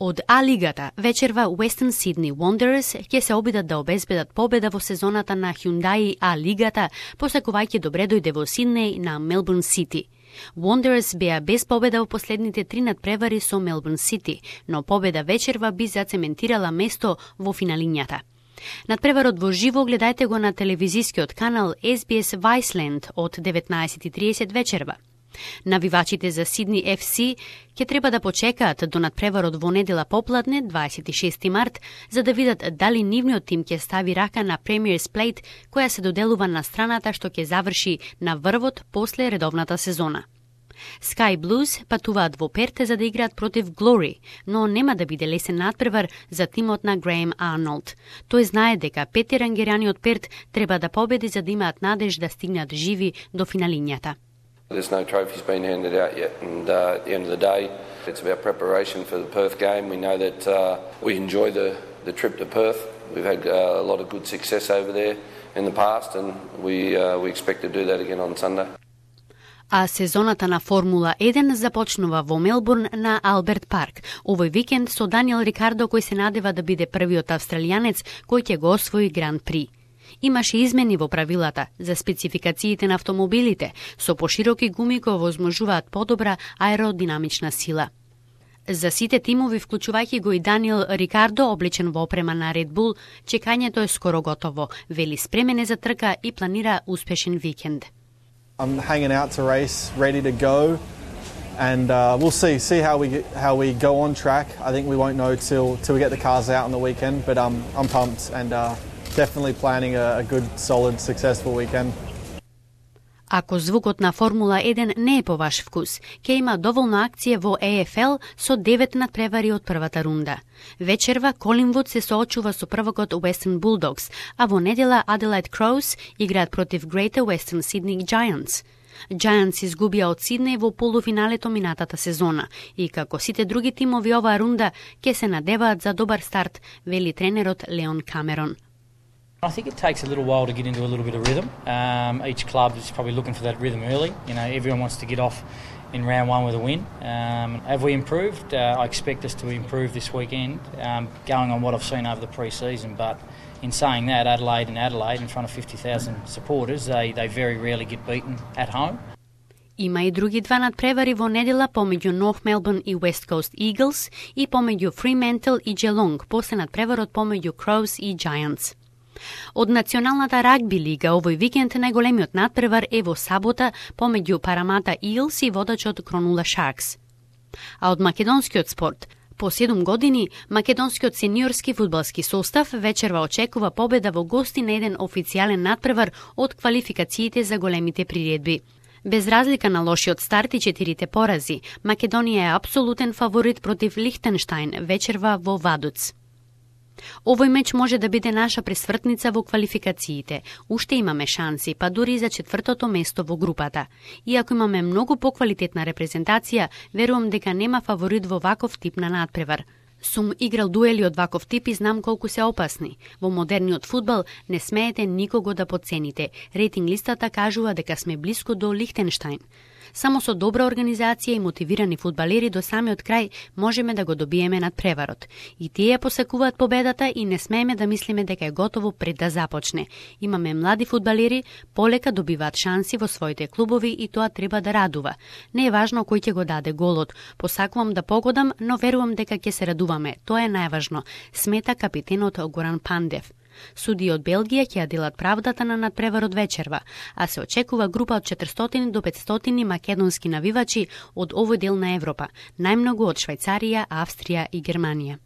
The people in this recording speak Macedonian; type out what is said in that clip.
Од А-лигата вечерва Western Sydney Wanderers ќе се обидат да обезбедат победа во сезоната на Hyundai А-лигата, посакувајќи добре дојде во Сиднеј на Melbourne City. Wanderers беа без победа во последните 3 надпревари со Melbourne City, но победа вечерва би зацементирала место во финалињата. Надпреварот во живо гледајте го на телевизискиот канал SBS Viceland од 19:30 вечерва. Навивачите за Сидни FC ќе треба да почекаат до надпреварот во недела попладне, 26 март, за да видат дали нивниот тим ќе стави рака на Premier's Plate, која се доделува на страната што ќе заврши на врвот после редовната сезона. Sky Blues патуваат во Перт за да играат против Glory, но нема да биде лесен надпревар за тимот на Греем Арнолд. Тој знае дека 5 рангерани од Перт треба да победи за да имаат надеж да стигнат живи до финалињата. There's no trophies been handed out yet, and at the end of the day, it's about preparation for the Perth game. We know that we enjoy the trip to Perth. We've had a lot of good success over there in the past, and we expect to do that again on Sunday. А сезоната на Формула 1 започнува во Мелбурн на Алберт Парк. Овој викенд со Даниел Рикардо, кој се надева да биде првиот австралијанец кој ќе го освои Гран При. Имаше измени во правилата за спецификациите на автомобилите, со пошироки гуми кои возможуваат подобра аеродинамична сила. За сите тимови, вклучувајќи го и Даниел Рикардо, облечен во опрема на Red Bull, чекањето е скоро готово, вели спремен е за трка и планира успешен викенд. I'm hanging out to race, ready to go, and we'll see how we go on track. I think we won't know till we get the cars out on the weekend, but I'm pumped and definitely planning a good, solid, successful weekend. Ако звукот на Формула 1 не е по ваш вкус, ќе има доволно акција во AFL со 9 надпревари од првата рунда. Вечерва Колинвуд се соочува со првокот Western Bulldogs, а во недела Adelaide Crows играат против Greater Western Sydney Giants. Giants изгубија од Сиднеј во полуфиналето минатата сезона и како сите други тимови оваа рунда ќе се надеваат за добар старт, вели тренерот Леон Камерон. I think it takes a little while to get into a little bit of rhythm. Each club is probably looking for that rhythm early. You know, everyone wants to get off in round one with a win. Have we improved? I expect us to improve this weekend, going on what I've seen over the pre-season. But in saying that, Adelaide in front of 50,000 supporters, they very rarely get beaten at home. Има и други два надпревари во недела помеѓу North Melbourne и West Coast Eagles и помеѓу Fremantle и Geelong, после надпреварот помеѓу Crows и Giants. Од Националната рагби лига овој викенд најголемиот надпревар е во сабота помеѓу Парамата Eels и водачот Кронула Sharks. А од македонскиот спорт, по 7 години, македонскиот сениорски фудбалски состав вечерва очекува победа во гости на еден официјален надпревар од квалификациите за големите приредби. Без разлика на лошиот старт и 4 порази, Македонија е апсолутен фаворит против Лихтенштајн вечерва во Вадуц. Овој меч може да биде наша пресвртница во квалификациите. Уште имаме шанси, па дури и за 4-то место во групата. Иако имаме многу поквалитетна репрезентација, верувам дека нема фаворит во ваков тип на надпревар. Сум играл дуели од ваков тип и знам колку се опасни. Во модерниот фудбал не смеете никого да подцените. Рейтинг листата кажува дека сме блиску до Лихтенштајн. Само со добра организација и мотивирани фудбалери до самиот крај можеме да го добиеме надпреварот. И тие посакуваат победата и не смееме да мислиме дека е готово пред да започне. Имаме млади фудбалери, полека добиваат шанси во своите клубови и тоа треба да радува. Не е важно кој ќе го даде голот. Посакувам да погодам, но верувам дека ќе се радуваме. Тоа е најважно, смета капитенот Горан Пандев. Суди од Белгија ќе ја делат правдата на надпреварот вечерва, а се очекува група од 400 до 500 македонски навивачи од овој дел на Европа, најмногу од Швајцарија, Австрија и Германија.